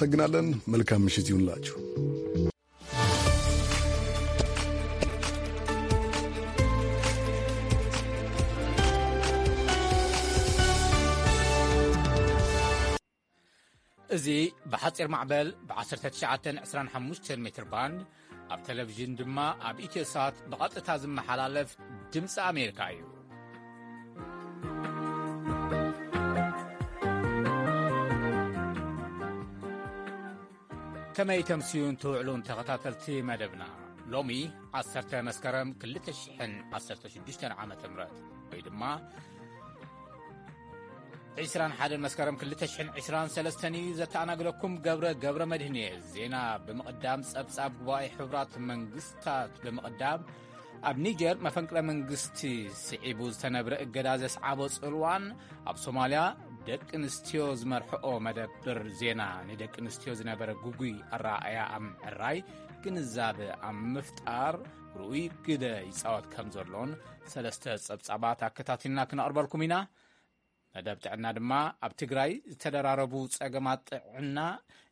እናመሰግናለን። መልካም ምሽት ይሁንላችሁ። እዚ ብሓጺር ማዕበል ብ19 25 ሜትር ባንድ፣ ኣብ ቴሌቪዥን ድማ ኣብ ኢትዮሳት ብቐጥታ ዝመሓላለፍ ድምፂ ኣሜሪካ እዩ። ከመይ ተምስዩን ትውዕሉን ተኸታተልቲ መደብና? ሎሚ 10 መስከረም 2016 ዓመተ ምህረት፣ ወይ ድማ 21 መስከረም 2023 እዩ። ዘተኣናግደኩም ገብረ፣ ገብረ መድህን እየ። ዜና ብምቕዳም፣ ጸብጻብ ጉባኤ ሕቡራት መንግስታት ብምቕዳም፣ ኣብ ኒጀር መፈንቅለ መንግስቲ ስዒቡ ዝተነብረ እገዳ ዘስዓቦ ጽልዋን፣ ኣብ ሶማልያ ደቂ ኣንስትዮ ዝመርሕኦ መደብር ዜና ንደቂ ኣንስትዮ ዝነበረ ግጉይ ኣረኣእያ ኣብ ምዕራይ፣ ግንዛበ ኣብ ምፍጣር ርኡይ ግደ ይጻወት ከም ዘሎን ሰለስተ ጸብጻባት ኣከታቲልና ክነቕርበልኩም ኢና። መደብ ጥዕና ድማ ኣብ ትግራይ ዝተደራረቡ ጸገማት ጥዕና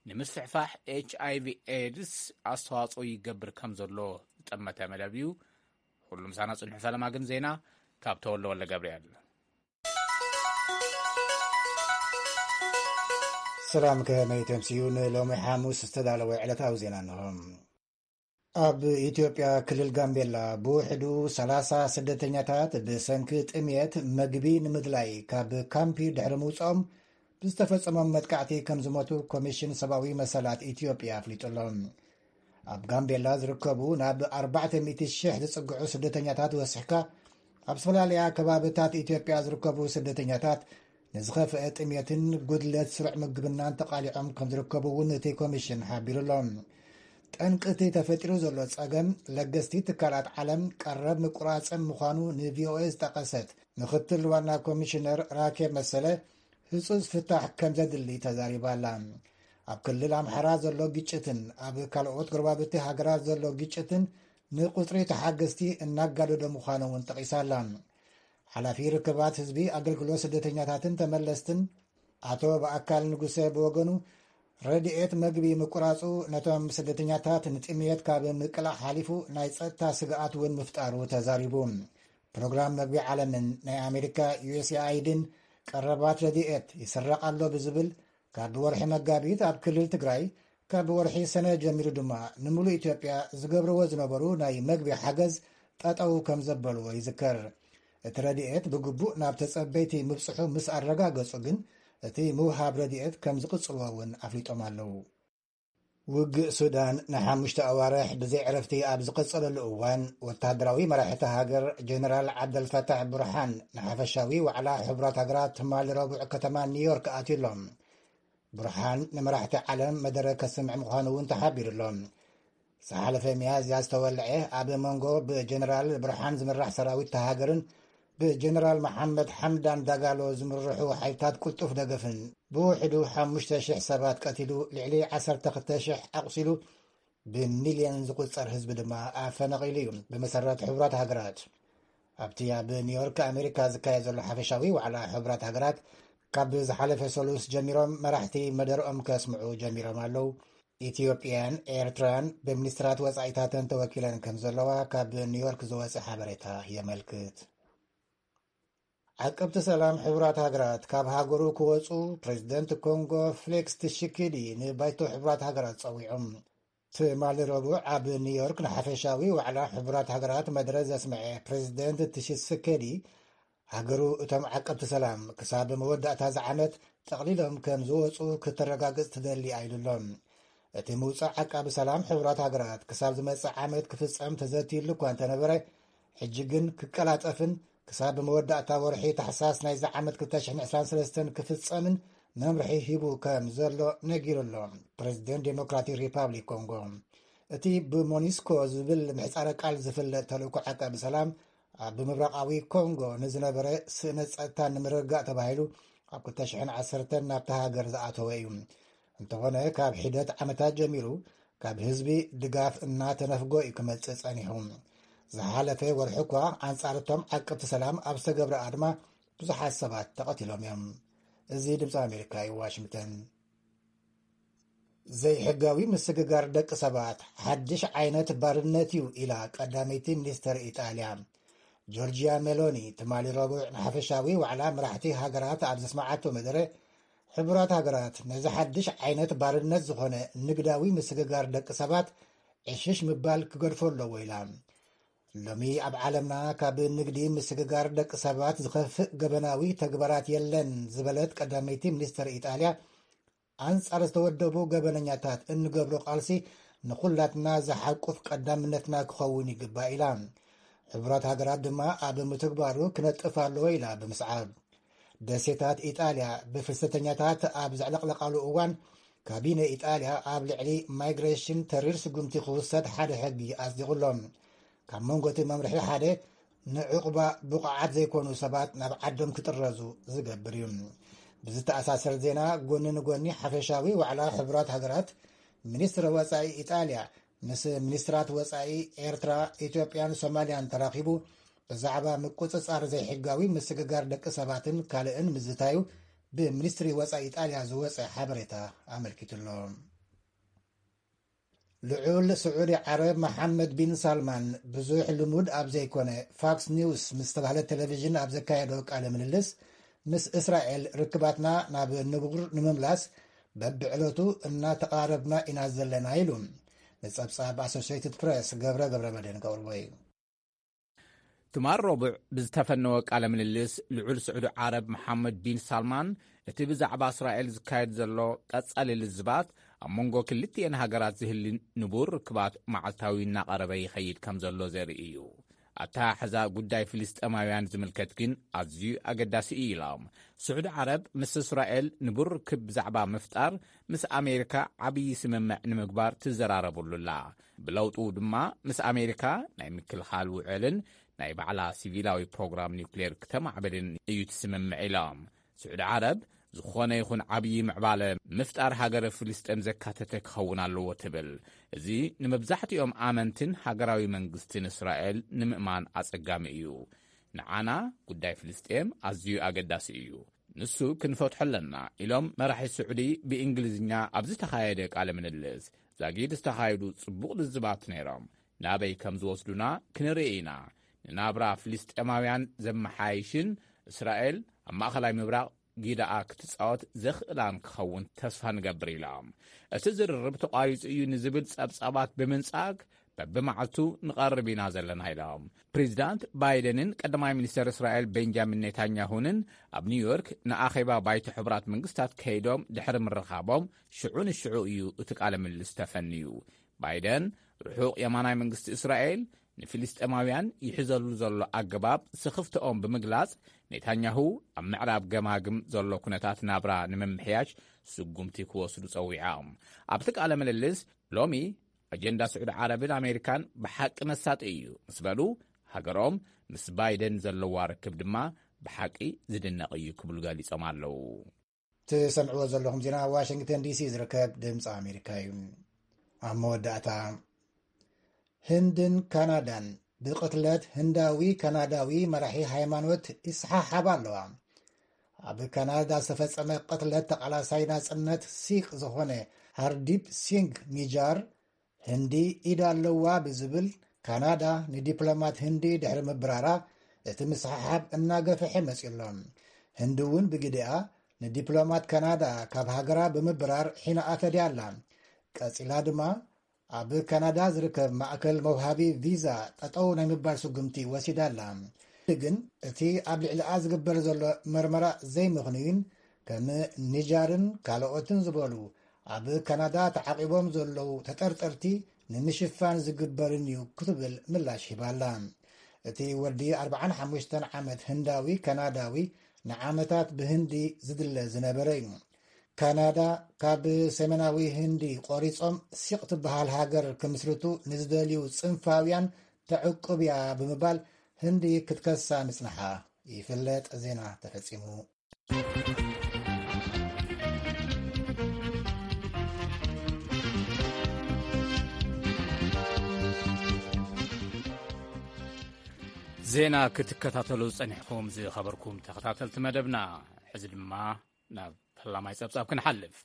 ንምስፍሕፋሕ ኤች ኣይ ቪ ኤድስ ኣስተዋጽኦ ይገብር ከም ዘሎ ዝጠመተ መደብ እዩ። ኩሉ ምሳና ጽንሑ። ፈለማ ግን ዜና ካብ ተወልደ ወልደ ገብርኤል። ሰላም፣ ከመይ ተምስዩ? ንሎሚ ሓሙስ ዝተዳለወ ዕለታዊ ዜና እንሆ። ኣብ ኢትዮጵያ ክልል ጋምቤላ ብውሕዱ 30 ስደተኛታት ብሰንኪ ጥምየት መግቢ ንምድላይ ካብ ካምፒ ድሕሪ ምውፅኦም ብዝተፈጸሞም መጥቃዕቲ ከም ዝሞቱ ኮሚሽን ሰብኣዊ መሰላት ኢትዮጵያ ኣፍሊጡ ኣሎ። ኣብ ጋምቤላ ዝርከቡ ናብ 400,000 ዝጽግዑ ስደተኛታት ወሲሕካ፣ ኣብ ዝተፈላለያ ከባብታት ኢትዮጵያ ዝርከቡ ስደተኛታት ንዝኸፍአ ጥሜትን ጉድለት ስሩዕ ምግብናን ተቓሊዖም ከም ዝርከቡ እውን እቲ ኮሚሽን ሓቢሩ ኣሎ። ጠንቂ እቲ ተፈጢሩ ዘሎ ጸገም ለገስቲ ትካላት ዓለም ቀረብ ምቁራጽም ምዃኑ ን ቪ ኦ ኤ ዝጠቐሰት ምኽትል ዋና ኮሚሽነር ራኬብ መሰለ፣ ህጹጽ ፍታሕ ከም ዘድሊ ተዛሪባ ኣላ። ኣብ ክልል ኣምሓራ ዘሎ ግጭትን ኣብ ካልኦት ጎረባብቲ ሃገራት ዘሎ ግጭትን ንቁጽሪ ተሓገዝቲ እናጋደዶ ምዃኑ እውን ጠቒሳ ኣላ። ሓላፊ ርክባት ህዝቢ፣ ኣገልግሎት ስደተኛታትን ተመለስትን ኣቶ በኣካል ንጉሰ ብወገኑ፣ ረድኤት መግቢ ምቁራጹ ነቶም ስደተኛታት ንጥምየት ካብ ምቅላዕ ሓሊፉ ናይ ጸጥታ ስግኣት እውን ምፍጣሩ ተዛሪቡ። ፕሮግራም መግቢ ዓለምን ናይ ኣሜሪካ ዩ ኤስ ኤ ኣይ ድን ቀረባት ረድኤት ይስረቕ ኣሎ ብዝብል፣ ካብ ወርሒ መጋቢት ኣብ ክልል ትግራይ፣ ካብ ወርሒ ሰነ ጀሚሩ ድማ ንምሉእ ኢትዮጵያ ዝገብርዎ ዝነበሩ ናይ መግቢ ሓገዝ ጠጠው ከም ዘበልዎ ይዝከር። እቲ ረድኤት ብግቡእ ናብ ተጸበይቲ ምብጽሑ ምስ ኣረጋገጹ ግን፣ እቲ ምውሃብ ረድኤት ከም ዝቕጽልዎ እውን ኣፍሊጦም ኣለዉ። ውግእ ሱዳን ንሓሙሽተ ኣዋርሕ ብዘይ ዕረፍቲ ኣብ ዝቐጸለሉ እዋን፣ ወተሃደራዊ መራሒ እታ ሃገር ጀነራል ዓብደልፈታሕ ቡርሃን ንሓፈሻዊ ዋዕላ ሕቡራት ሃገራት ትማሊ ረቡዕ ከተማ ኒውዮርክ ኣትዩ ኣሎ። ቡርሃን ንመራሕቲ ዓለም መደረ ከስምዕ ምዃኑ እውን ተሓቢሩ ኣሎ። ዝሓለፈ ሚያዝያ ዝተወልዐ ኣብ መንጎ ብጀነራል ቡርሃን ዝምራሕ ሰራዊት እታ ሃገርን ብጀነራል መሓመድ ሓምዳን ዳጋሎ ዝምርሑ ሓይልታት ቅልጡፍ ደገፍን ብውሕዱ ሓሙሽተ ሽሕ ሰባት ቀቲሉ፣ ልዕሊ ዓሰርተ ክልተ ሽሕ ኣቑሲሉ፣ ብሚልዮን ዝቑጸር ህዝቢ ድማ ኣፈናቒሉ እዩ። ብመሰረት ሕቡራት ሃገራት፣ ኣብቲ ኣብ ኒውዮርክ ኣሜሪካ ዝካየድ ዘሎ ሓፈሻዊ ዋዕላ ሕቡራት ሃገራት፣ ካብ ዝሓለፈ ሰሉስ ጀሚሮም መራሕቲ መደርኦም ከስምዑ ጀሚሮም ኣለዉ። ኢትዮጵያን ኤርትራን ብሚኒስትራት ወጻኢታተን ተወኪለን ከም ዘለዋ ካብ ኒውዮርክ ዝወጸ ሓበሬታ የመልክት። ዓቀብቲ ሰላም ሕቡራት ሃገራት ካብ ሃገሩ ክወጹ ፕሬዚደንት ኮንጎ ፍሌክስ ትሽኪዲ ንባይቶ ሕቡራት ሃገራት ጸዊዖም። ትማሊ ረቡዕ ኣብ ኒውዮርክ ንሓፈሻዊ ዋዕላ ሕቡራት ሃገራት መደረ ዘስምዐ ፕሬዚደንት ትሽስከዲ፣ ሃገሩ እቶም ዓቀብቲ ሰላም ክሳብ መወዳእታ እዚ ዓመት ጠቕሊሎም ከም ዝወጹ ክተረጋግጽ ትደሊ ኢሉ ኣሎ። እቲ ምውጻእ ዓቃቢ ሰላም ሕቡራት ሃገራት ክሳብ ዝመጽእ ዓመት ክፍጸም ተዘትይሉ እኳ እንተነበረ፣ ሕጂ ግን ክቀላጠፍን ክሳብ መወዳእታ ወርሒ ታሕሳስ ናይዚ ዓመት ክልተ ሽሕን ዕስራን ሰለስተን ክፍጸምን መምርሒ ሂቡ ከም ዘሎ ነጊሩ ኣሎ። ፕሬዚደንት ዴሞክራቲክ ሪፓብሊክ ኮንጎ፣ እቲ ብሞኒስኮ ዝብል ምሕጻረ ቃል ዝፍለጥ ተልእኮ ዓቃቢ ሰላም፣ ኣብ ምብራቓዊ ኮንጎ ንዝነበረ ስእነት ጸጥታ ንምርግጋእ ተባሂሉ ኣብ ክልተ ሽሕን ዓሰርተን ናብታ ሃገር ዝኣተወ እዩ። እንተኾነ፣ ካብ ሒደት ዓመታት ጀሚሩ ካብ ህዝቢ ድጋፍ እናተነፍጎ እዩ ክመጽእ ጸኒሑ። ዝሓለፈ ወርሒ እኳ ኣንጻር እቶም ዓቀብቲ ሰላም ኣብ ዝተገብረ ኣድማ ብዙሓት ሰባት ተቐቲሎም እዮም። እዚ ድምፂ ኣሜሪካ እዩ፣ ዋሽንግተን። ዘይሕጋዊ ምስግጋር ደቂ ሰባት ሓድሽ ዓይነት ባርነት እዩ፣ ኢላ ቀዳመይቲ ሚኒስተር ኢጣልያ ጆርጂያ ሜሎኒ ትማሊ ረቡዕ ንሓፈሻዊ ዋዕላ መራሕቲ ሃገራት ኣብ ዘስማዓቶ መደረ። ሕቡራት ሃገራት ነዚ ሓድሽ ዓይነት ባርነት ዝኾነ ንግዳዊ ምስግጋር ደቂ ሰባት ዕሽሽ ምባል ክገድፎ ኣለዎ፣ ኢላ። ሎሚ ኣብ ዓለምና ካብ ንግዲ ምስግጋር ደቂ ሰባት ዝኸፍእ ገበናዊ ተግባራት የለን ዝበለት ቀዳመይቲ ሚኒስተር ኢጣልያ፣ ኣንጻር ዝተወደቡ ገበነኛታት እንገብሮ ቃልሲ ንኹላትና ዝሓቁፍ ቀዳምነትና ክኸውን ይግባእ፣ ኢላ። ሕቡራት ሃገራት ድማ ኣብ ምትግባሩ ክነጥፍ ኣለዎ፣ ኢላ ብምስዓብ። ደሴታት ኢጣልያ ብፍልሰተኛታት ኣብ ዘዕለቕለቓሉ እዋን፣ ካቢነ ኢጣልያ ኣብ ልዕሊ ማይግሬሽን ተሪር ስጉምቲ ክውሰድ ሓደ ሕጊ ኣጽዲቑ ኣሎ። ካብ መንጎ እቲ መምርሒ ሓደ፣ ንዕቑባ ብቑዓት ዘይኮኑ ሰባት ናብ ዓዶም ክጥረዙ ዝገብር እዩ። ብዝተኣሳሰር ዜና፣ ጎኒ ንጎኒ ሓፈሻዊ ዋዕላ ሕቡራት ሃገራት፣ ሚኒስትሪ ወጻኢ ኢጣልያ ምስ ሚኒስትራት ወጻኢ ኤርትራ፣ ኢትዮጵያን ሶማልያን ተራኺቡ ብዛዕባ ምቁጽጻር ዘይሕጋዊ ምስግጋር ደቂ ሰባትን ካልእን ምዝታዩ ብሚኒስትሪ ወጻኢ ኢጣልያ ዝወጸ ሓበሬታ ኣመልኪቱ ኣሎ። ልዑል ስዑዲ ዓረብ መሓመድ ቢን ሳልማን፣ ብዙሕ ልሙድ ኣብ ዘይኮነ ፋክስ ኒውስ ምስ ተባህለ ቴሌቪዥን ኣብ ዘካየዶ ቃለ ምልልስ፣ ምስ እስራኤል ርክባትና ናብ ንቡር ንምምላስ በብዕለቱ እናተቓረብና ኢና ዘለና ኢሉ። ንጸብጻብ ኣሶሽየትድ ፕሬስ ገብረ ገብረ መድህን ከቕርቦ እዩ። ትማል ረቡዕ ብዝተፈነወ ቃለ ምልልስ፣ ልዑል ስዑዲ ዓረብ መሓመድ ቢን ሳልማን፣ እቲ ብዛዕባ እስራኤል ዝካየድ ዘሎ ቀጻሊ ልዝባት፣ ኣብ መንጎ ክልቲኤን ሃገራት ዝህሊ ንቡር ርክባት መዓልታዊ እናቐረበ ይኸይድ ከም ዘሎ ዘርኢ እዩ። ኣተሓሕዛ ጉዳይ ፍልስጤማውያን ዝምልከት ግን ኣዝዩ ኣገዳሲ እዩ ኢሎም። ስዑዲ ዓረብ ምስ እስራኤል ንቡር ርክብ ብዛዕባ ምፍጣር ምስ ኣሜሪካ ዓብዪ ስምምዕ ንምግባር ትዘራረበሉ ኣላ። ብለውጡ ድማ ምስ ኣሜሪካ ናይ ምክልኻል ውዕልን ናይ ባዕላ ሲቪላዊ ፕሮግራም ኒውክሌር ክተማዕብልን እዩ ትስምምዕ ኢሎም። ስዑዲ ዓረብ ዝኾነ ይኹን ዓብዪ ምዕባለ ምፍጣር ሃገረ ፍልስጤም ዘካተተ ክኸውን ኣለዎ ትብል። እዚ ንመብዛሕትኦም ኣመንትን ሃገራዊ መንግስትን እስራኤል ንምእማን ኣጸጋሚ እዩ። ንዓና ጉዳይ ፍልስጤም ኣዝዩ ኣገዳሲ እዩ። ንሱ ክንፈትሖ ኣለና ኢሎም መራሒ ስዑዲ ብእንግሊዝኛ ኣብ ዝተኻየደ ቃለ ምልልስ። ዛጊድ ዝተኻየዱ ጽቡቕ ልዝባት ነይሮም። ናበይ ከም ዝወስዱና ክንርኢ ኢና። ንናብራ ፍልስጤማውያን ዘመሓይሽን እስራኤል ኣብ ማእኸላይ ምብራቕ ጊዳኣ ክትጻወት ዘኽእላን ክኸውን ተስፋ ንገብር ኢሎም። እቲ ዝርርብ ተቋሪጹ እዩ ንዝብል ጸብጻባት ብምንጻግ በብመዓልቱ ንቐርብ ኢና ዘለና ኢሎም። ፕሬዚዳንት ባይደንን ቀዳማይ ሚኒስተር እስራኤል ቤንጃሚን ኔታንያሁንን ኣብ ኒውዮርክ ንኣኼባ ባይቶ ሕቡራት መንግስታት ከይዶም ድሕሪ ምርኻቦም ሽዑ ንሽዑ እዩ እቲ ቃለ ምልልስ ተፈንዩ። ባይደን ርሑቕ የማናይ መንግስቲ እስራኤል ንፊልስጤማውያን ይሕዘሉ ዘሎ ኣገባብ ስኽፍትኦም ብምግላጽ፣ ኔታንያሁ ኣብ ምዕራብ ገማግም ዘሎ ኩነታት ናብራ ንምምሕያሽ ስጉምቲ ክወስዱ ጸዊዖም። ኣብቲ ቃለ ምልልስ ሎሚ ኣጀንዳ ስዑዲ ዓረብን ኣሜሪካን ብሓቂ መሳጢ እዩ ምስ በሉ፣ ሃገሮም ምስ ባይደን ዘለዋ ርክብ ድማ ብሓቂ ዝድነቕ እዩ ክብሉ ገሊጾም ኣለዉ። ትሰምዕዎ ዘለኹም ዜና ዋሽንግተን ዲሲ ዝርከብ ድምፂ ኣሜሪካ እዩ። ኣብ መወዳእታ፣ ህንድን ካናዳን ብቕትለት ህንዳዊ ካናዳዊ መራሒ ሃይማኖት ይሰሓሓባ ኣለዋ። ኣብ ካናዳ ዝተፈጸመ ቅትለት ተቓላሳይ ናጽነት ሲክ ዝኾነ ሃርዲፕ ሲንግ ኒጃር፣ ህንዲ ኢድ ኣለዋ ብዝብል፣ ካናዳ ንዲፕሎማት ህንዲ ድሕሪ ምብራራ፣ እቲ ምስሕሓብ እናገፍሐ መጺኡ ኣሎ። ህንዲ እውን ብግዲኣ ንዲፕሎማት ካናዳ ካብ ሃገራ ብምብራር ሒናኣ ፈድያ ኣላ። ቀጺላ ድማ ኣብ ካናዳ ዝርከብ ማእከል መውሃቢ ቪዛ ጠጠው ናይ ምባል ስጉምቲ ወሲዳ ኣላ። ግን እቲ ኣብ ልዕሊኣ ዝግበር ዘሎ መርመራ ዘይምኽኑይን ከም ኒጃርን ካልኦትን ዝበሉ ኣብ ካናዳ ተዓቒቦም ዘለዉ ተጠርጠርቲ ንምሽፋን ዝግበርን እዩ ክትብል ምላሽ ሂባ ኣላ። እቲ ወዲ ኣርብዓን ሓሙሽተን ዓመት ህንዳዊ ካናዳዊ ንዓመታት ብህንዲ ዝድለ ዝነበረ እዩ። ካናዳ ካብ ሰሜናዊ ህንዲ ቆሪጾም ሲቕ ትበሃል ሃገር ክምስርቱ ንዝደልዩ ጽንፋውያን ተዕቁብ እያ ብምባል ህንዲ ክትከሳ ምጽንሓ ይፍለጥ። ዜና ተፈጺሙ። ዜና ክትከታተሉ ጸኒሕኩም ዝኸበርኩም ተኸታተልቲ መደብና፣ ሕዚ ድማ ናብ ፈላማይ ጸብጻብ ክንሓልፍ።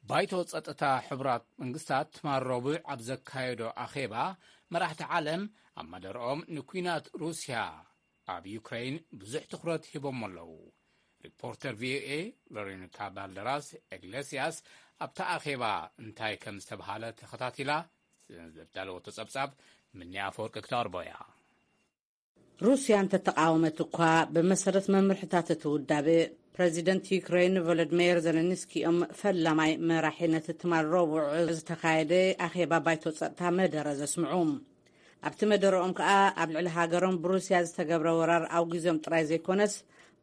ባይቶ ጸጥታ ሕቡራት መንግስታት ትማል ረቡዕ ኣብ ዘካየዶ ኣኼባ፣ መራሕቲ ዓለም ኣብ መደርኦም ንኲናት ሩስያ ኣብ ዩክሬን ብዙሕ ትኹረት ሂቦም ኣለዉ። ሪፖርተር ቪኦኤ ሎሬንካ ባልደራስ ኢግሌሲያስ ኣብታ ኣኼባ እንታይ ከም ዝተብሃለ ተኸታቲላ ዘዳለወቶ ጸብጻብ ምንያ ኣፈወርቂ ክተቕርቦ እያ። ሩስያ እንተተቃወመት እኳ፣ ብመሰረት መምርሕታት እቲ ውዳበ፣ ፕረዚደንት ዩክሬን ቮሎድሚር ዘለንስኪ እዮም ፈላማይ መራሒ ነቲ ትማል ረቡዕ ዝተኻየደ ኣኼባ ባይቶ ጸጥታ መደረ ዘስምዑ። ኣብቲ መደረኦም ከኣ፣ ኣብ ልዕሊ ሃገሮም ብሩስያ ዝተገብረ ወራር ኣውጊዞም ጥራይ ዘይኮነስ፣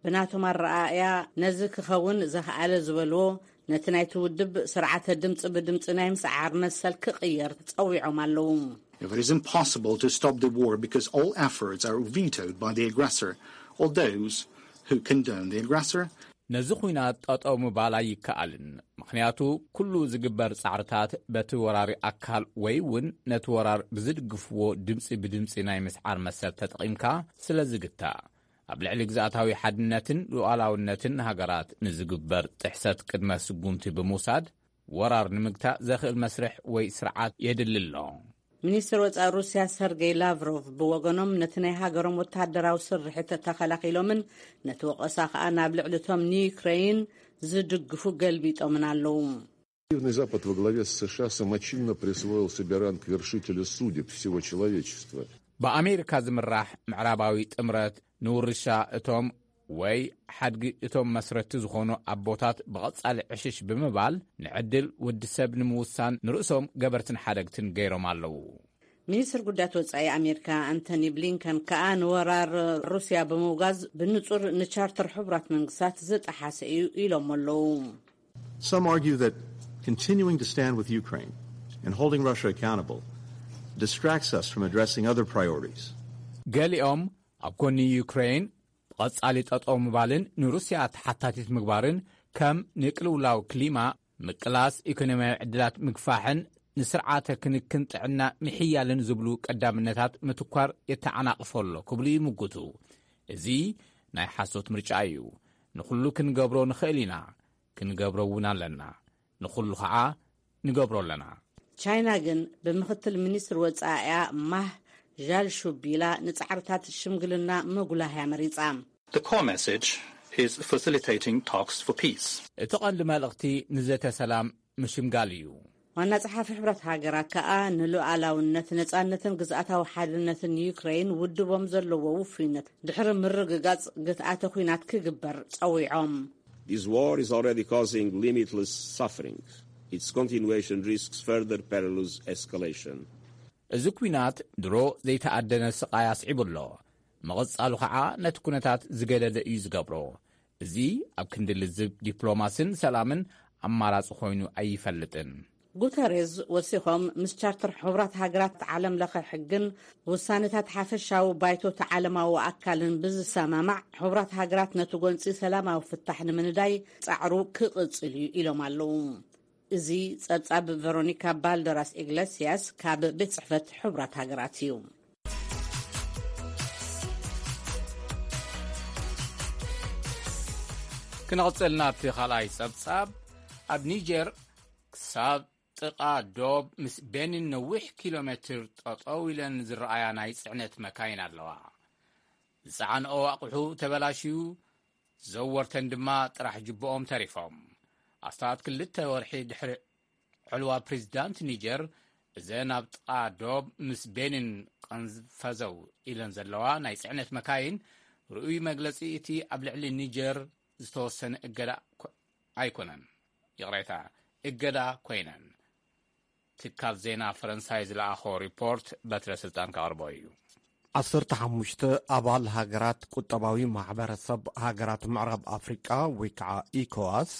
ብናቶም ኣረኣእያ ነዚ ክኸውን ዘኽኣለ ዝበልዎ፣ ነቲ ናይቲ ውድብ ስርዓተ ድምጺ ብድምጺ ናይ ምስዓር መሰል ክቕየር ጸዊዖም ኣለዉ። It is impossible to stop the war because all efforts are vetoed by the aggressor or those who condone the aggressor. ነዚ ኹናት ጠጠው ምባል ኣይከኣልን፣ ምኽንያቱ ኩሉ ዝግበር ጻዕርታት በቲ ወራሪ ኣካል ወይ እውን ነቲ ወራር ብዝድግፍዎ ድምጺ ብድምጺ ናይ ምስዓር መሰል ተጠቒምካ ስለ ዝግታእ፣ ኣብ ልዕሊ ግዝኣታዊ ሓድነትን ሉዓላውነትን ሃገራት ንዝግበር ጥሕሰት ቅድመ ስጉምቲ ብምውሳድ፣ ወራር ንምግታእ ዘኽእል መስርሕ ወይ ስርዓት የድሊ ኣሎ። ሚኒስትር ወጻኢ ሩስያ ሰርጌይ ላቭሮቭ ብወገኖም፣ ነቲ ናይ ሃገሮም ወተሃደራዊ ስርሒት ተኸላኺሎምን ነቲ ወቐሳ ከኣ ናብ ልዕሊ እቶም ንዩክሬን ዝድግፉ ገልቢጦምን ኣለዉ። Активный Запад во главе с США самочинно присвоил себе ранг вершителя судеб всего человечества. ብኣሜሪካ ዝምራሕ ምዕራባዊ ጥምረት ንውርሻ እቶም ወይ ሓድጊ እቶም መስረቲ ዝኾኑ ኣቦታት ብቐጻሊ ዕሽሽ ብምባል፣ ንዕድል ወዲ ሰብ ንምውሳን ንርእሶም ገበርትን ሓደግትን ገይሮም ኣለዉ። ሚኒስትር ጉዳያት ወጻኢ ኣሜሪካ ኣንቶኒ ብሊንከን ከኣ፣ ንወራር ሩስያ ብምውጋዝ ብንጹር ንቻርተር ሕቡራት መንግስታት ዝጠሓሰ እዩ ኢሎም ኣለዉ። Some argue that continuing to stand with Ukraine and holding Russia accountable distracts us from addressing other priorities. ገሊኦም ኣብ ጎኒ ዩክሬን ብቐጻሊ ጠጠው ምባልን ንሩስያ ተሓታቲት ምግባርን፣ ከም ንቅልውላው ክሊማ፣ ምቅላስ ኢኮኖሚያዊ ዕድላት ምግፋሕን ንስርዓተ ክንክን ጥዕና ምሕያልን ዝብሉ ቀዳምነታት ምትኳር የተዓናቕፎ ኣሎ ክብሉ ይምጉቱ። እዚ ናይ ሓሶት ምርጫ እዩ። ንኹሉ ክንገብሮ ንኽእል ኢና፣ ክንገብሮ እውን ኣለና። ንኹሉ ኸዓ ንገብሮ ኣለና። ቻይና ግን ብምኽትል ሚኒስትር ወጻኢያ ማህ ዣልሹ ቢላ ንጻዕርታት ሽምግልና ምጉላህያ መሪጻ። The core message is facilitating talks for peace. እቲ ቀንዲ መልእኽቲ ንዘተ ሰላም ምሽምጋል እዩ። ዋና ጸሓፊ ሕብረት ሃገራት ከኣ፣ ንሉዓላውነት፣ ነጻነትን ግዝኣታዊ ሓድነትን ዩክሬን ውድቦም ዘለዎ ውፉይነት ድሕሪ ምርግጋጽ ግትኣተ ኲናት ክግበር ጸዊዖም። This war is already causing limitless suffering. Its continuation risks further perilous escalation. እዚ ኲናት ድሮ ዘይተኣደነ ስቓይ ኣስዒቡ ኣሎ። ምቕጻሉ ኸዓ ነቲ ኩነታት ዝገደደ እዩ ዝገብሮ። እዚ ኣብ ክንዲ ልዝብ ዲፕሎማስን ሰላምን ኣማራጺ ኮይኑ ኣይፈልጥን። ጉተሬዝ ወሲኾም፣ ምስ ቻርተር ሕቡራት ሃገራት፣ ዓለም ለኸ ሕግን ውሳኔታት ሓፈሻዊ ባይቶቲ ዓለማዊ ኣካልን ብዝሰማማዕ፣ ሕቡራት ሃገራት ነቲ ጎንጺ ሰላማዊ ፍታሕ ንምንዳይ ጻዕሩ ክቕጽል እዩ ኢሎም ኣለዉ። እዚ ጸብጻብ ቨሮኒካ ባልደራስ ኢግለሲያስ ካብ ቤት ጽሕፈት ሕቡራት ሃገራት እዩ። ክንቕጽል ናብቲ ካልኣይ ጸብጻብ። ኣብ ኒጀር ክሳብ ጥቓ ዶብ ምስ ቤኒን ነዊሕ ኪሎ ሜትር ጠጠው ኢለን ዝረኣያ ናይ ጽዕነት መካይን ኣለዋ። ዝጸዓንኦ ኣቑሑ ተበላሽዩ፣ ዘወርተን ድማ ጥራሕ ጅብኦም ተሪፎም። ኣስታት ክልተ ወርሒ ድሕሪ ዕልዋ ፕሬዚዳንት ኒጀር፣ እዘን ኣብ ጥቓ ዶብ ምስ ቤኒን ቀንፈዘው ኢለን ዘለዋ ናይ ጽዕነት መካይን፣ ርኡይ መግለጺ እቲ ኣብ ልዕሊ ኒጀር ዝተወሰነ እገዳ ኮ-፣ ኣይኮነን። ይቕሬታ፣ እገዳ ኮይነን። ትካል ዜና ፈረንሳይ ዝለኣኾ ሪፖርት በትረ ስልጣን ከቕርቦ እዩ። ዓሰርተ ሓሙሽተ ኣባል ሃገራት ቁጠባዊ ማሕበረሰብ ሃገራት ምዕራብ ኣፍሪቃ ወይ ከዓ ኢኮዋስ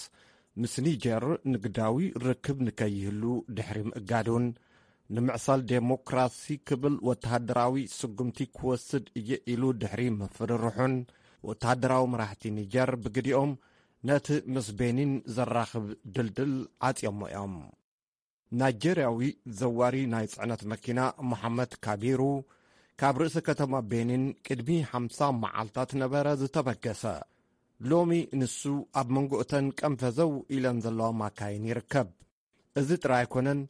ምስ ኒጀር ንግዳዊ ርክብ ንከይህሉ ድሕሪ ምእጋዱን ንምዕሳል ዴሞክራሲ ክብል ወተሃደራዊ ስጉምቲ ክወስድ እየ ኢሉ ድሕሪ ምፍርርሑን ወተሃደራዊ መራሕቲ ኒጀር ብግዲኦም ነቲ ምስ ቤኒን ዘራኽብ ድልድል ዓጽዮሞ እዮም። ናይጀርያዊ ዘዋሪ ናይ ጽዕነት መኪና መሓመድ ካቢሩ ካብ ርእሲ ከተማ ቤኒን ቅድሚ ሓምሳ መዓልታት ነበረ ዝተበገሰ። ሎሚ ንሱ ኣብ መንጎ እተን ቀንፈዘው ኢለን ዘለዋ ማካይን ይርከብ። እዚ ጥራይ ኣይኮነን፣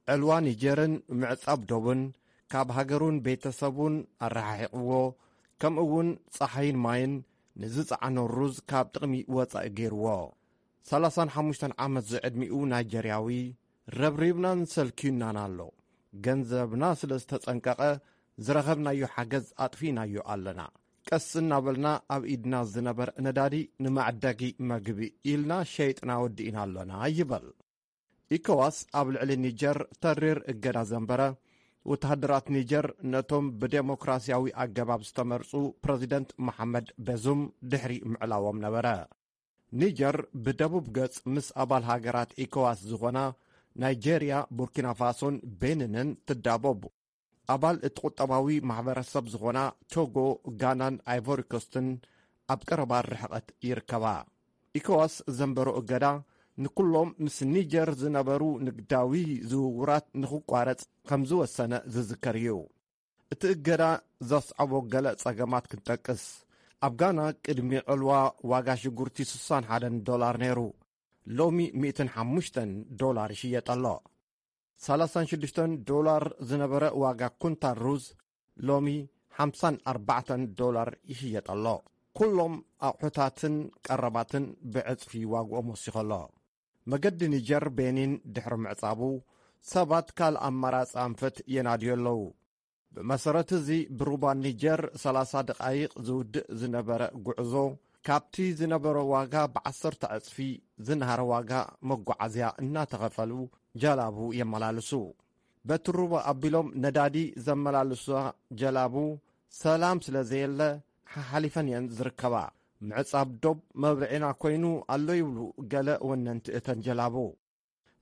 ዕልዋ ኒጀርን ምዕጻብ ዶብን ካብ ሃገሩን ቤተሰቡን ኣረሓሒቕዎ፣ ከምኡ እውን ጸሓይን ማይን ንዝጸዓኖ ሩዝ ካብ ጥቕሚ ወጻኢ ገይርዎ። ሰላሳን ሓሙሽተን ዓመት ዝዕድሚኡ ናይጀርያዊ፣ "ረብሪብናን ሰልክዩናን ኣሎ። ገንዘብና ስለ ዝተጸንቀቐ፣ ዝረኸብናዮ ሓገዝ ኣጥፊእናዮ ኣለና። ቀስ እናበልና ኣብ ኢድና ዝነበረ ነዳዲ ንመዐደጊ መግቢ ኢልና ሸይጥና ወዲእና ኣሎና" ይበል። ኢኮዋስ ኣብ ልዕሊ ኒጀር ተሪር እገዳ ዘንበረ፣ ወተሃደራት ኒጀር ነቶም ብዴሞክራሲያዊ ኣገባብ ዝተመርጹ ፕረዚደንት መሓመድ በዙም ድሕሪ ምዕላዎም ነበረ። ኒጀር ብደቡብ ገጽ ምስ ኣባል ሃገራት ኢኮዋስ ዝኾና ናይጄርያ፣ ቡርኪና ፋሶን ቤኒንን ትዳቦብ። ኣባል እቲ ቁጠባዊ ማሕበረሰብ ዝኾና ቶጎ፣ ጋናን ኣይቮሪኮስትን ኣብ ቀረባ ርሕቐት ይርከባ። ኢኮዋስ ዘንበሮ እገዳ ንኩሎም ምስ ኒጀር ዝነበሩ ንግዳዊ ዝውውራት ንኽቋረጽ ከም ዝወሰነ ዝዝከር እዩ። እቲ እገዳ ዘስዓቦ ገለ ጸገማት ክንጠቅስ፣ ኣብ ጋና ቅድሚ ዕልዋ ዋጋ ሽጉርቲ ስሳን ሓደን ዶላር ነይሩ። ሎሚ ሚእትን ሓሙሽተን ዶላር ይሽየጥ ኣሎ። ሰላሳን ሽዱሽተን ዶላር ዝነበረ ዋጋ ኩንታል ሩዝ ሎሚ ሓምሳን ኣርባዕተን ዶላር ይሽየጥ ኣሎ። ኩሎም ኣቑሑታትን ቀረባትን ብዕጽፊ ዋግኦም ወሲኹ ኣሎ። መገዲ ኒጀር ቤኒን ድሕሪ ምዕጻቡ፣ ሰባት ካልእ ኣማራጺ ኣንፈት የናድዩ ኣለዉ። ብመሰረት እዚ፣ ብሩባ ኒጀር ሰላሳ ደቓይቕ ዝውድእ ዝነበረ ጉዕዞ፣ ካብቲ ዝነበሮ ዋጋ ብዓሰርተ ዕጽፊ ዝነሃረ ዋጋ መጓዓዝያ እናተኸፈሉ ጀላቡ የመላልሱ። በቲ ሩባ ኣቢሎም ነዳዲ ዘመላልሳ ጀላቡ ሰላም ስለ ዘየለ፣ ሓሓሊፈን እየን ዝርከባ። ምዕጻብ ዶብ መብርዒና ኮይኑ ኣሎ ይብሉ ገለ ወነንቲ እተን ጀላቡ።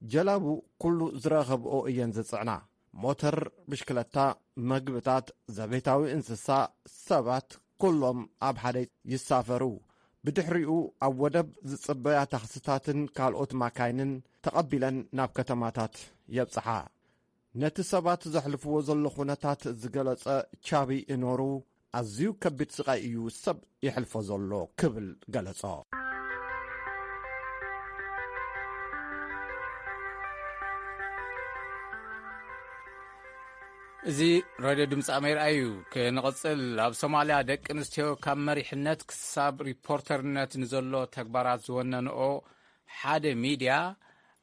ጀላቡ ኩሉ ዝረኸብኦ እየን ዝጽዕና። ሞተር፣ ብሽክለታ፣ መግብታት፣ ዘቤታዊ እንስሳ፣ ሰባት፣ ኩሎም ኣብ ሓደ ይሳፈሩ። ብድሕሪኡ ኣብ ወደብ ዝጽበያ ታክስታትን ካልኦት ማካይንን ተቐቢለን ናብ ከተማታት የብጽሓ። ነቲ ሰባት ዘሕልፍዎ ዘሎ ኩነታት ዝገለጸ ቻቢ እኖሩ፣ ኣዝዩ ከቢድ ስቓይ እዩ ሰብ የሕልፎ ዘሎ ክብል ገለጾ። እዚ ሬድዮ ድምፂ ኣሜሪካ እዩ። ክንቕፅል፣ ኣብ ሶማልያ ደቂ ኣንስትዮ ካብ መሪሕነት ክሳብ ሪፖርተርነት ንዘሎ ተግባራት ዝወነንኦ ሓደ ሚድያ፣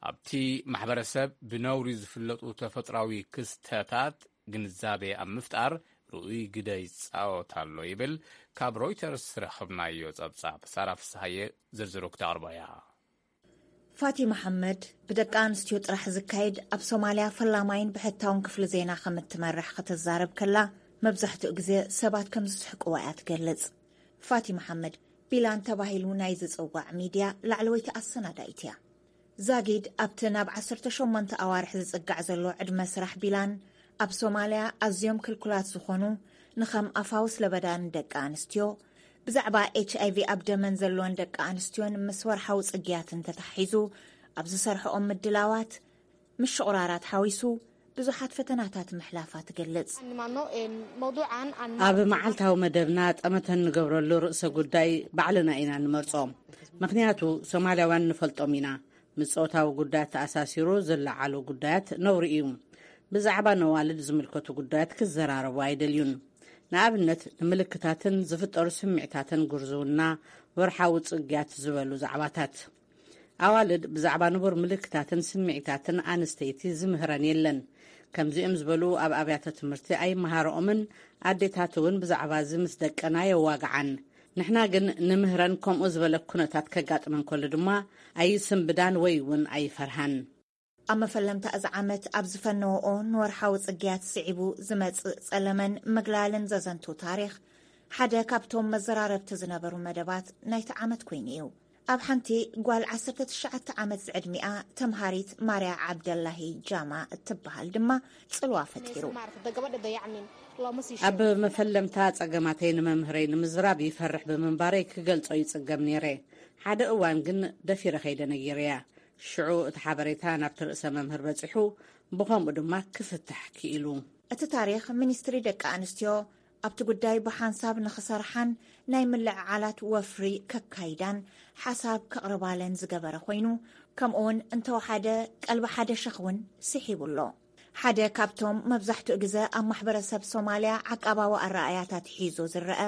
ኣብቲ ማሕበረሰብ ብነውሪ ዝፍለጡ ተፈጥሯዊ ክስተታት ግንዛቤ ኣብ ምፍጣር ርኡይ ግደ ይጻወት ኣሎ ይብል ካብ ሮይተርስ ዝረኸብናዮ ጸብጻብ። ሳራ ፍስሃየ ዝርዝሩ ክተቕርቦ እያ። ፋቲ መሓመድ ብደቂ ኣንስትዮ ጥራሕ ዝካየድ ኣብ ሶማልያ ፈላማይን ብሕታውን ክፍሊ ዜና ከም እትመርሕ ክትዛረብ ከላ፣ መብዛሕትኡ ግዜ ሰባት ከም ዝስሕቅዋ እያ ትገልጽ። ፋቲ መሓመድ፣ ቢላን ተባሂሉ ናይ ዝጽዋዕ ሚድያ ላዕለወይቲ ኣሰናዳኢት እያ። ዛጊድ ኣብቲ ናብ ዓሰርተ ሸሞንተ ኣዋርሕ ዝጽጋዕ ዘሎ ዕድመ ስራሕ ቢላን፣ ኣብ ሶማልያ ኣዝዮም ክልኩላት ዝኾኑ ንኸም ኣፋውስ ለበዳን ደቂ ኣንስትዮ፣ ብዛዕባ ኤች ኣይ ቪ ኣብ ደመን ዘለወን ደቂ ኣንስትዮን ምስ ወርሓዊ ጽግያትን ተተሓሒዙ ኣብ ዝሰርሕኦም ምድላዋት፣ ምሽቑራራት ሓዊሱ ብዙሓት ፈተናታት ምሕላፋ ትገልጽ። ኣብ መዓልታዊ መደብና ጠመተ እንገብረሉ ርእሰ ጉዳይ ባዕልና ኢና እንመርጾ። ምኽንያቱ ሶማልያውያን ንፈልጦም ኢና። ምስ ጾታዊ ጉዳያት ተኣሳሲሩ ዝለዓሉ ጉዳያት ነውሪ እዩ። ብዛዕባ ነዋልድ ዝምልከቱ ጉዳያት ክዘራረቡ ኣይደልዩን። ንኣብነት፣ ንምልክታትን ዝፍጠሩ ስምዒታትን፣ ጉርዝውና፣ ወርሓዊ ጽግያት ዝበሉ ዛዕባታት። ኣዋልድ ብዛዕባ ንቡር ምልክታትን ስምዒታትን ኣንስተይቲ ዝምህረን የለን። ከምዚኦም ዝበሉ ኣብ ኣብያተ ትምህርቲ ኣይመሃርኦምን፣ ኣዴታት እውን ብዛዕባ እዚ ምስ ደቀን ኣየዋግዓን። ንሕና ግን ንምህረን፣ ከምኡ ዝበለ ኩነታት ከጋጥመን ከሎ ድማ ኣይስንብዳን ወይ እውን ኣይፈርሃን። ኣብ መፈለምታ እዚ ዓመት ኣብ ዝፈነወኦ ንወርሓዊ ጽግያት ስዒቡ ዝመጽእ ጸለመን ምግላልን ዘዘንቱ ታሪኽ፣ ሓደ ካብቶም መዘራረብቲ ዝነበሩ መደባት ናይቲ ዓመት ኮይኑ እዩ። ኣብ ሓንቲ ጓል ዓሰርተ ትሽዓተ ዓመት ዝዕድሚኣ ተምሃሪት ማርያ ዓብደላሂ ጃማ እትበሃል ድማ ጽልዋ ፈጢሩ። ኣብ መፈለምታ ጸገማተይ ንመምህረይ ንምዝራብ ይፈርሕ ብምንባረይ ክገልጾ ይጽገም ነይረ። ሓደ እዋን ግን ደፊረ ከይደ ነጊረያ። ሽዑ እቲ ሓበሬታ ናብቲ ርእሰ መምህር በጺሑ፣ ብኸምኡ ድማ ክፍታሕ ክኢሉ። እቲ ታሪኽ፣ ሚኒስትሪ ደቂ ኣንስትዮ ኣብቲ ጉዳይ ብሓንሳብ ንኽሰርሓን ናይ ምልዕዓላት ወፍሪ ከካይዳን ሓሳብ ከቕርባለን ዝገበረ ኮይኑ፣ ከምኡውን እንተወሓደ ቀልቢ ሓደ ሸኽ እውን ስሒቡ ኣሎ። ሓደ ካብቶም መብዛሕትኡ ግዘ ኣብ ማሕበረሰብ ሶማልያ ዓቃባዊ ኣረኣእያታት ሒዙ ዝረአ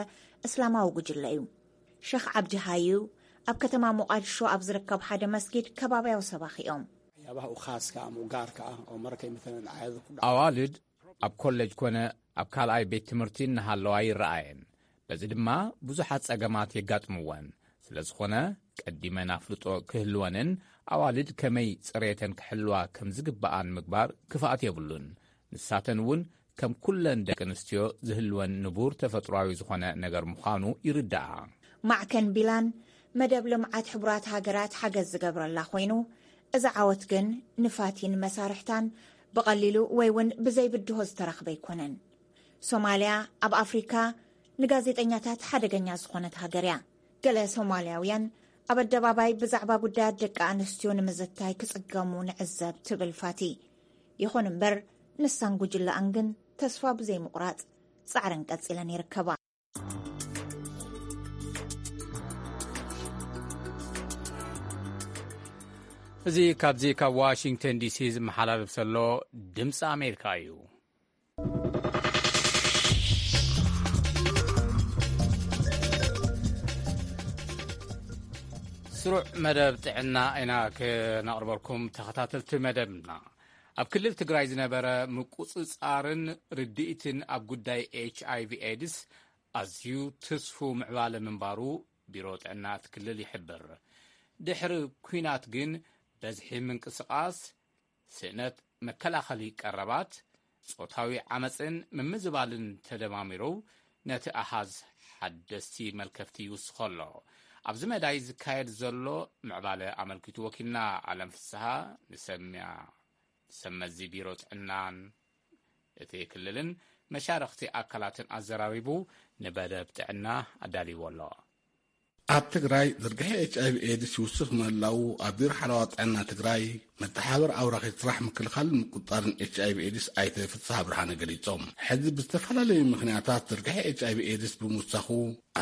እስላማዊ ጉጅለ እዩ። ሸኽ ዓብዲ ሃዩ ኣብ ከተማ ሞቓድሾ ኣብ ዝርከብ ሓደ መስጊድ ከባብያዊ ሰባኺ እዮም። Waxyaabaha u khaaska ama u gaarka ah oo mararkay maalan aayado ku dhaco ኣዋልድ ኣብ ኮሌጅ ኮነ ኣብ ካልኣይ ቤት ትምህርቲ እናሃለዋ ይረኣየን። በዚ ድማ ብዙሓት ጸገማት የጋጥምወን። ስለ ዝኾነ ቀዲመን ኣፍልጦ ክህልወንን ኣዋልድ ከመይ ጽሬተን ክሕልዋ ከም ዝግብኣን ምግባር ክፍኣት የብሉን። ንሳተን እውን ከም ኩለን ደቂ ኣንስትዮ ዝህልወን ንቡር ተፈጥሯዊ ዝኾነ ነገር ምዃኑ ይርዳኣ። ማዕከን ቢላን መደብ ልምዓት ሕቡራት ሃገራት ሓገዝ ዝገብረላ ኮይኑ፣ እዚ ዓወት ግን ንፋቲን መሳርሕታን ብቐሊሉ ወይ እውን ብዘይብድሆ ዝተረኽበ ኣይኮነን። ሶማልያ ኣብ ኣፍሪካ ንጋዜጠኛታት ሓደገኛ ዝኾነት ሃገር እያ። ገለ ሶማልያውያን ኣብ ኣደባባይ ብዛዕባ ጉዳያት ደቂ ኣንስትዮ ንምዝታይ ክጽገሙ ንዕዘብ ትብል ፋቲ። ይኹን እምበር ንሳን ጉጅለኣን ግን ተስፋ ብዘይምቑራጽ ጻዕረን ቀጺለን ይርከባ። እዚ ካብዚ ካብ ዋሽንግተን ዲሲ ዝመሓላለፍ ዘሎ ድምፂ ኣሜሪካ እዩ። ስሩዕ መደብ ጥዕና ኢና ክነቕርበልኩም ተኸታተልቲ መደብና። ኣብ ክልል ትግራይ ዝነበረ ምቁፅፃርን ርድኢትን ኣብ ጉዳይ ኤች ኣይ ቪ ኤድስ ኣዝዩ ትስፉ ምዕባለ ምንባሩ ቢሮ ጥዕና እቲ ክልል ይሕብር። ድሕሪ ኲናት ግን በዝሒ ምንቅስቓስ፣ ስእነት መከላኸሊ ቀረባት፣ ጾታዊ ዓመጽን ምምዝባልን ተደማሚሩ ነቲ ኣሃዝ ሓደስቲ መልከፍቲ ይውስኾ ኣሎ። ኣብዚ መዳይ ዝካየድ ዘሎ ምዕባለ ኣመልኪቱ ወኪልና ኣለም ፍስሃ ንሰምያ ሰመዚ ቢሮ ጥዕናን እቲ ክልልን መሻርኽቲ ኣካላትን ኣዘራሪቡ ንመደብ ጥዕና ኣዳልይዎ ኣሎ። ኣብ ትግራይ ዝርግሐ ኤች ኣይቪ ኤድስ ይውስኽ ምህላዉ ኣብ ቢሮ ሓለዋ ጥዕና ትግራይ መተሓባበሪ ኣውራኺ ስራሕ ምክልኻልን ምቁፅፃርን ኤች ኣይቪ ኤድስ ኣይተ ፍስሃ ብርሃነ ገሊፆም። ሕዚ ብዝተፈላለዩ ምኽንያታት ዝርግሐ ኤች ኣይቪ ኤድስ ብምውሳኹ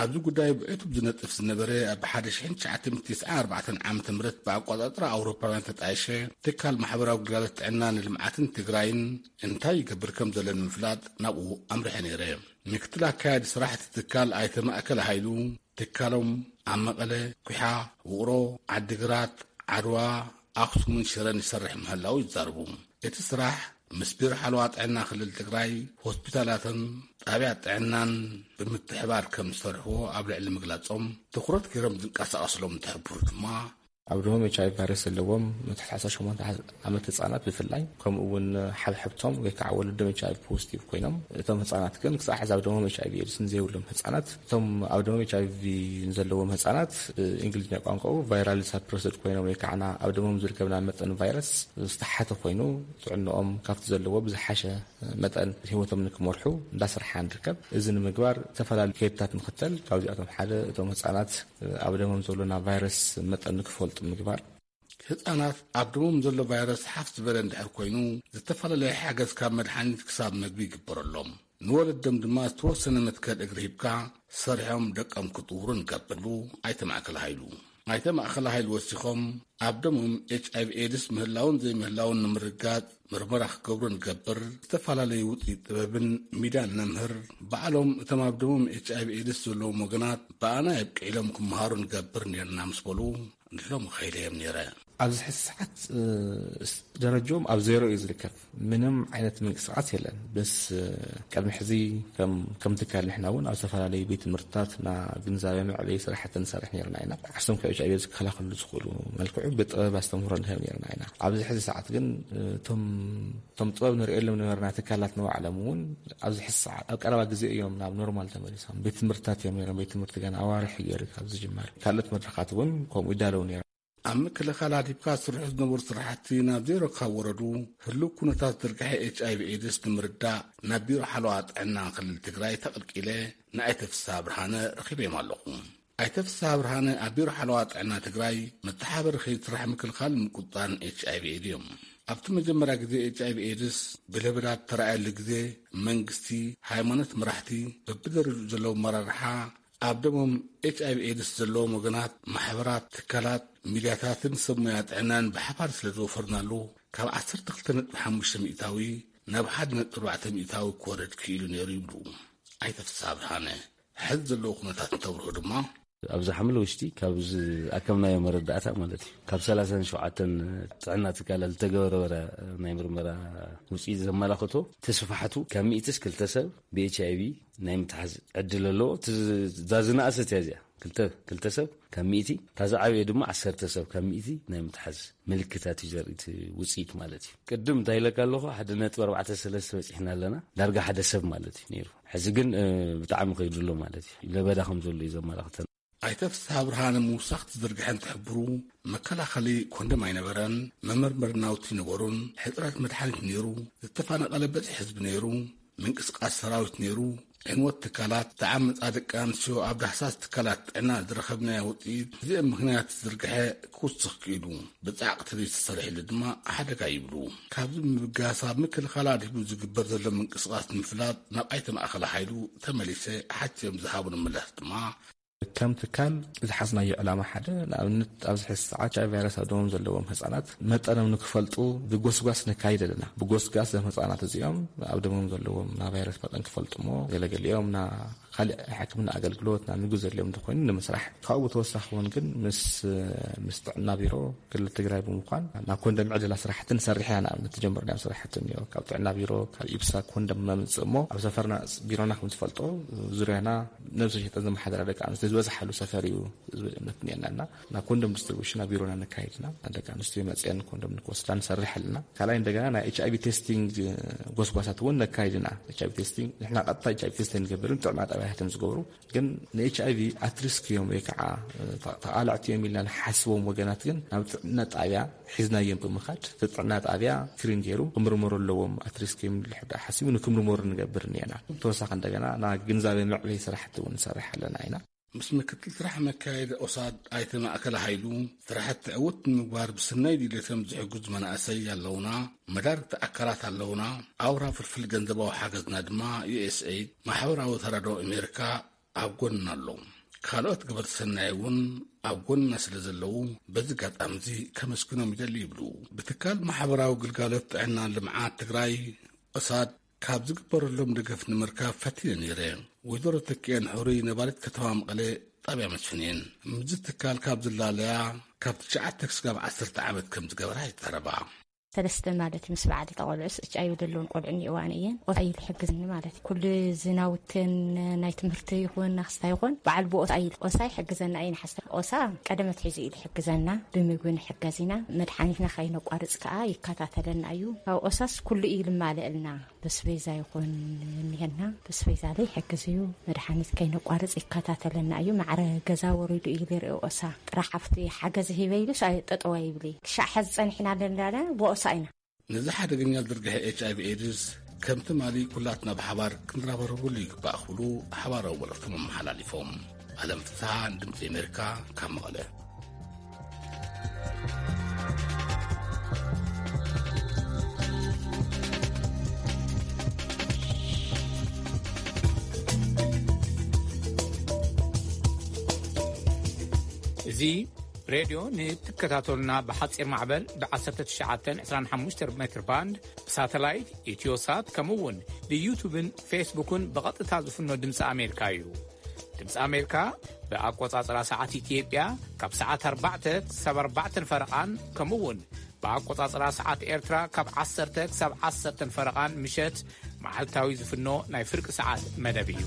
ኣብዚ ጉዳይ ብዕቱብ ዝነጥፍ ዝነበረ ኣብ ሓደ ሽሕን ትሽዓተ ሚእትን ተስዓን ኣርባዕተን ዓመተ ምህረት ብኣቆፃፅራ ኣውሮፓውያን ተጣየሸ ትካል ማሕበራዊ ግልጋሎት ጥዕና ንልምዓትን ትግራይን እንታይ ይገብር ከም ዘሎ ንምፍላጥ ናብኡ ኣምሪሐ ነይረ። ምክትል ኣካያዲ ስራሕ እቲ ትካል ኣይተ ማእከል ሃይሉ ትካሎም ኣብ መቐለ፣ ኩሓ፣ ውቕሮ፣ ዓዲግራት፣ ዓድዋ፣ ኣኽሱምን ሽረን ይሰርሕ ምህላው ይዛረቡ። እቲ ስራሕ ምስ ቢሮ ሓለዋ ጥዕና ክልል ትግራይ፣ ሆስፒታላትን ጣብያ ጥዕናን ብምትሕባር ከም ዝሰርሕዎ ኣብ ልዕሊ ምግላጾም፣ ትኹረት ገይሮም ዝንቀሳቐስሎም እንትሕብሩ ድማ፣ ኣብ ደሞም ኤች ኣይቪ ቫይረስ ዘለዎም ንትሕቲ ዓሰርተ ሸሞንተ ዓመት ህጻናት ብፍላይ፣ ከምኡ እውን ሓብሕብቶም ወይ ከዓ ወለዶም ኤች ኣይቪ ፖዚቲቭ ኮይኖም፣ እቶም ህጻናት ግን ክሳዕ ሕዚ ኣብ ደሞም ኤች ኣይቪ ኤድስ ንዘይብሎም ህጻናት፣ እቶም ኣብ ደሞም ኤች ኣይቪ ዘለዎም ህጻናት ብእንግሊዝኛ ቋንቋኡ ቫይራል ሳፕረስድ ኮይኖም ወይ ከዓ ኣብ ደሞም ዝርከብ ናይ መጠን ቫይረስ ዝተሓተ ኮይኑ፣ ጥዕንኦም ካብቲ ዘለዎ ብዝሓሸ መጠን ህይወቶም ንክመርሑ እንዳሰርሓ ንርከብ። እዚ ንምግባር ዝተፈላለዩ ከይድታት ንኽተል። ካብዚኣቶም ሓደ እቶም ህጻናት ኣብ ደሞም ዘሎ ናይ ቫይረስ መጠን ንክፈልጡ ምግባር። ህጻናት ኣብ ደሞም ዘሎ ቫይረስ ሓፍ ዝበለ እንድሕር ኮይኑ፣ ዝተፈላለየ ሓገዝ ካብ መድሓኒት ክሳብ መግቢ ይግበረሎም። ንወለዶም ድማ ዝተወሰነ መትከል እግሪ ሂብካ ሰሪሖም ደቆም ክጥውሩ ንገብር፣ ኣይተ ማእከል ሃይሉ። ኣይተ ማእከል ሃይሉ ወሲኾም፣ ኣብ ደሞም ኤች ኣይቪ ኤድስ ምህላውን ዘይምህላውን ንምርጋጽ ምርመራ ክገብሩ ንገብር፣ ዝተፈላለዩ ውፅኢት ጥበብን ሚድያን ነምህር፣ ባዕሎም እቶም ኣብ ደሞም ኤች ኣይቪ ኤድስ ዘለዎም ወገናት ብኣና የብቅዕ ኢሎም ክመሃሩ ንገብር ኔርና ምስ በሉ፣ ንሎሚ ከይደ እዮም ኔረ። ኣብዚ ሕዚ ሰዓት ደረጃኦም ኣብ ዜሮ እዩ ዝርከብ። ምንም ዓይነት ምንቅስቃስ የለን። በስ ቅድሚ ሕዚ ከም ትካል ንሕና እውን ኣብ ዝተፈላለዩ ቤት ትምህርትታት እና ግንዛቤ መዕበይ ስራሕቲ ንሰርሕ ነርና ኢና። ዓርሶም ካብ ኤች ኣይቪ ዝከላኸሉ ዝኽእሉ መልክዑ ብጥበብ ኣስተምህሮ ንህብ ነርና ኢና። ኣብዚ ሕዚ ሰዓት ግን እቶም እቶም ጥበብ ንርእየሎም ነበርና ትካላት ንባዕሎም እውን ኣብዚ ሕዚ ሰዓት ኣብ ቀረባ ግዜ እዮም ናብ ኖርማል ተመሊሶም። ቤት ትምህርትታት እዮም ነሮም። ቤት ትምህርቲ ገና ኣዋርሕ ገይሩ ካብ ዝጅመር ካልኦት መድረኻት እውን ከምኡ ይዳለው ነሮም። ኣብ ምክልኻል ኣድሂብካ ዝስርሑ ዝነበሩ ስራሕቲ ናብ ዜሮ ካብ ወረዱ፣ ህሉው ኩነታት ዝርግሐ ኤች ኣይቪ ኤድስ ንምርዳእ ናብ ቢሮ ሓለዋ ጥዕና ክልል ትግራይ ተቐልቂለ ንኣይተ ፍስሃ ብርሃነ ረኺበዮም ኣለኹ። ኣይተ ፍስሃ ብርሃነ ኣብ ቢሮ ሓለዋ ጥዕና ትግራይ መተሓበሪ ከይዲ ስራሕ ምክልኻል ምቁፅፃርን ኤች ኣይቪ ኤድስ እዮም። ኣብቲ መጀመርያ ግዜ ኤች ኣይቪ ኤድስ ብለበዳ ተራእየሉ ግዜ መንግስቲ፣ ሃይማኖት፣ መራሕቲ በብደረጅኡ ዘለዉ ኣመራርሓ ኣብ ደሞም ኤች ኣይ ቪ ኤድስ ዘለዎም ወገናት፣ ማሕበራት፣ ትካላት፣ ሚድያታትን ሰብ ሞያ ጥዕናን ብሓባር ስለ ዝወፈርናሉ፣ ካብ ዓሰርተ ክልተ ነጥቢ ሓሙሽተ ሚእታዊ ናብ ሓደ ነጥቢ ኣርባዕተ ሚእታዊ ክወርድ ክኢሉ ነይሩ ይብሉ ኣይተ ፍስሃ ብርሃነ። ሕዚ ዘለዎ ኩነታት እንተብርሆ ድማ፣ ኣብዚ ሓምለ ውሽጢ ካብ ዝኣከብናዮ መረዳእታ ማለት እዩ፣ ካብ ሰላሳን ሸውዓተን ጥዕና ትካላት ዝተገበረ ናይ ምርመራ ውፅኢት ዘመላኽቶ፣ እቲ ስፋሕቱ ካብ ሚእትስ ክልተ ሰብ ብ ኤች ኣይ ቪ ናይ ምትሓዝ ዕድል ኣለዎ። እቲ ዝ-፣ እዛ ዝነኣሰት እያ እዚኣ። ክልተ፣ ክልተ ሰብ ካብ ሚእቲ፣ እታ ዝዓበየ ድማ ዓሰርተ ሰብ ካብ ሚእቲ ናይ ምትሓዝ ምልክታት እዩ ዘርኢ እቲ ውፅኢት ማለት እዩ። ቅድም እንታይ ኢለካ ኣለኹ? ሓደ ነጥቢ ኣርባዕተ ሰለስተ በፂሕና ኣለና። ዳርጋ ሓደ ሰብ ማለት እዩ ነይሩ። ሕዚ ግን፣ እ፣ ብጣዕሚ ከይዱ ኣሎ ማለት እዩ። ለበዳ ከም ዘሎ እዩ ዘመላኽተና። ኣይተ ፍስሃ ብርሃነ ምውሳኽ ትዝርግሐ እንትሕብሩ፣ መከላኸሊ ኮንደም ኣይነበረን፣ መመርመሪ ናውቲ ነበሩን፣ ሕፅረት መድሓኒት ነይሩ፣ ዝተፈናቐለ በዝሒ ህዝቢ ነይሩ፣ ምንቅስቃስ ሰራዊት ነይሩ፣ ዕንወት ትካላት፣ ተዓመፃ ደቂ ኣንስትዮ ኣብ ዳህሳስ ትካላት ጥዕና ዝረኸብናዮ ውፅኢት፣ እዚኦም ምኽንያት ዝርግሐ ክውስኽ ክኢሉ፣ ብፃዕቂ ተዘይተሰሪሕሉ ድማ ሓደጋ ይብሉ። ካብዚ ምብጋስ ኣብ ምክልኻል ኣድሂቡ ዝግበር ዘሎ ምንቅስቃስ ንምፍላጥ ናብ ኣይተ ማእከለ ሓይሉ ተመሊሰ ሓቲቶም ዝሃቡኒ ምላሽ ድማ፣ ከም ትካል ዝሓዝናዮ ዕላማ ሓደ፣ ንኣብነት ኣብዚ ሕዚ ሰዓት ኤች ኣይ ቪ ቫይረስ ኣብ ደሞም ዘለዎም ህጻናት መጠኖም ንክፈልጡ ብጎስጓስ ነካይድ ኣለና። ብጎስጓስ እዞም ህጻናት እዚኦም ኣብ ደሞም ዘለዎም ናይ ቫይረስ መጠን ክፈልጡ እሞ፣ ገለገሊኦም ና ካልእ ሕክምና ኣገልግሎት፣ ናብ ምግቢ ዘድልዮም እንተኾይኑ ንምስራሕ። ካብኡ ብተወሳኺ እውን ግን ምስ፣ ምስ ጥዕና ቢሮ ክልል ትግራይ ብምዃን ናብ ኮንደም ዕደላ ስራሕቲ ንሰርሕ ኢና። ንኣብነት ተጀመርናዮም ስራሕቲ እኒኦ። ካብ ጥዕና ቢሮ፣ ካብ ኢብሳ ኮንደም ነምፅእ እሞ፣ ኣብ ሰፈርና፣ ቢሮና ከም ዝፈልጦ፣ ዙርያና ነብሰ ሸይጠን ዘመሓደራ ደቂ ኣንስትዮ ዝበዝሓሉ ሰፈር እዩ ዝብል እምነት እኒአና እና፣ ናብ ኮንደም ዲስትሪቡሽን ኣብ ቢሮና ነካይድና። ደቂ ኣንስትዮ መፅአን ኮንደም ንክወስዳ ንሰርሕ ኣለና። ካልኣይ እንደገና ናይ ኤች ኣይ ቪ ቴስቲንግ ጎስጓሳት እውን ነካይድና። ኤች ኣይ ቪ ቴስቲንግ ንሕና ቀጥታ ኤች ኣይ ቪ ቴስት ኣይንገብርን፣ ጥዕና ጣብያታትን ዝገብሩ። ግን ን ኤች ኣይ ቪ ኣትሪስክ እዮም ወይ ከዓ ተ-፣ ተቓላዕቲ እዮም ኢልና ንሓስቦም ወገናት ግን ናብ ጥዕና ጣብያ ሒዝናዮም ብምኻድ፣ እቲ ጥዕና ጣብያ ስክሪን ገይሩ ክምርመሩ ኣለዎም። ኣትሪስክ እዮም ኢሉ ሕዳ ሓሲቡ ንክምርመሩ ንገብር እኒአና። ተወሳኺ እንደገና ናይ ግንዛቤ መዕበይ ስራሕቲ እውን ንሰርሕ ኣለና ኢና። ምስ ምክትል ስራሕ መካየዲ ኦሳድ ኣይተ ማእከለ ሃይሉ፣ ስራሕቲ ዕውት ንምግባር ብስናይ ድሌቶም ዝሕግዙ መናእሰይ ኣለውና፣ መዳርግቲ ኣካላት ኣለውና፣ ኣውራ ፍልፍል ገንዘባዊ ሓገዝና ድማ ዩ ኤስ ኤይድ፣ ማሕበራዊ ተራድኦ ኣሜሪካ ኣብ ጎንና ኣሎ። ካልኦት ገበርቲ ሰናይ እውን ኣብ ጎንና ስለ ዘለዉ በዚ ኣጋጣሚ እዚ ከመስግኖም ይደሊ ይብሉ። ብትካል ማሕበራዊ ግልጋሎት ጥዕናን ልምዓት ትግራይ ኦሳድ ካብ ዝግበረሎም ደገፍ ንምርካብ ፈቲነ ነይረ። ወይዘሮ ተኪኤን ሕሩይ ነባሪት ከተማ መቐለ ጣብያ መስፍን እየን። ምስዚ ትካል ካብ ዝላለያ ካብ ትሽዓተ ክስጋብ ዓሰርተ ዓመት ከም ዝገበራ ይዛረባ። ሰለስተ ማለት ምስ በዓል ተቆልዑስ ኤች ኣይ ቪ ዘለውን ቆልዑ እኒአዋን እየን። ኦሳ እዩ ዝሕግዝኒ ማለት እዩ። ኩሉ ዝናውትን ናይ ትምህርቲ ይኹን ናክስታ ይኹን በዓል ብኦሳ እዩ። ኦሳ ይሕግዘና እዩ ንሓስተ። ኦሳ ቀደመት ሒዙ እዩ ዝሕግዘና። ብምግቢ ንሕገዝ ኢና። መድሓኒትና ከይነቋርፅ ከዓ ይከታተለና እዩ። ካብ ኦሳስ ኩሉ እዩ ዝማልእልና። በስቤዛ ይኹን እኒሀና። በስቤዛ ላይ ይሕግዝ እዩ። መድሓኒት ከይነቋርፅ ይከታተለና እዩ። ማዕረ ገዛ ወሪዱ እዩ ዝሪኦ ኦሳ። ጥራሕ ኣብቲ ሓገዝ ሂበ ኢሉስ ኣይ-፣ ጠጠው ኣይብል እዩ። ክሻዕ ሕዚ ፀኒሕና ኣለና ብኦሳ ኢና። ነዚ ሓደገኛ ዝርግሐ ኤች ኣይ ቪ ኤድስ ከም ትማሊ ኩላትና ብሓባር ክንረባረበሉ ይግባእ ክብሉ ሓባራዊ መልእኽቶም ኣመሓላሊፎም። ኣለም ፍስሓ፣ ድምፂ ኣሜሪካ፣ ካብ መቐለ። እዚ ሬድዮ ንትከታተሉና ብሓጺር ማዕበል ብ ዓሰርተ ትሽዓተ ዕስራን ሓሙሽተን ሜትር ባንድ፣ ብሳተላይት፣ ኢትዮሳት፣ ከምኡ እውን ብዩቱብን ፌስቡክን ብቐጥታ ዝፍኖ ድምፂ ኣሜሪካ እዩ። ድምፂ ኣሜሪካ ብኣቆጻጽራ ሰዓት ኢትዮጵያ ካብ ሰዓት ኣርባዕተ ክሳብ ኣርባዕተን ፈረቓን፣ ከምኡ እውን ብኣቆጻጽራ ሰዓት ኤርትራ ካብ ዓሰርተ ክሳብ ዓሰርተን ፈረቓን ምሸት መዓልታዊ ዝፍኖ ናይ ፍርቂ ሰዓት መደብ እዩ።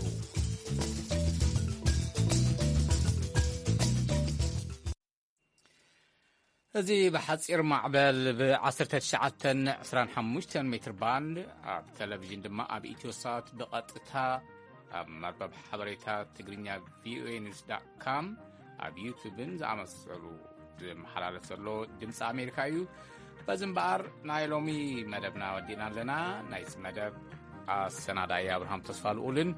እዚ ብሓጺር ማዕበል ብ ዓሰርተ ትሽዓተ ዕስራን ሓሙሽተን ሜትር ባንድ፣ ኣብ ቴሌቪዥን ድማ ኣብ ኢትዮሳት ብቐጥታ ኣብ መርበብ ሓበሬታ ትግርኛ ቪኦኤ ኒውስ ዳት ካም፣ ኣብ ዩቱብን ዝኣመሰሉ ዝመሓላለፍ ዘሎ ድምፂ ኣሜሪካ እዩ። በዚ እምበኣር ናይ ሎሚ መደብና ወዲእና ኣለና። ናይዚ መደብ ኣሰናዳኢ ኣብርሃም ተስፋ ልኡልን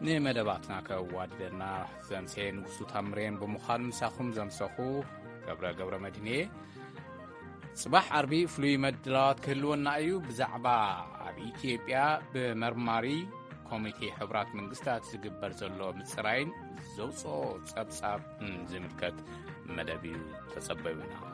ንመደባትና ከዋድደና ዘምሰየ ንጉሱ ታምሬን ብምዃን ምሳኹም ዘምሰኹ ገብረ ገብረ መድህን እየ። ጽባሕ ዓርቢ ፍሉይ መድላዋት ክህልወና እዩ። ብዛዕባ ኣብ ኢትዮጵያ ብመርማሪ ኮሚቴ ሕቡራት መንግስታት ዝግበር ዘሎ ምጽራይን ዘውፅኦ ጸብጻብ ዝምልከት መደብ እዩ። ተጸበዩና።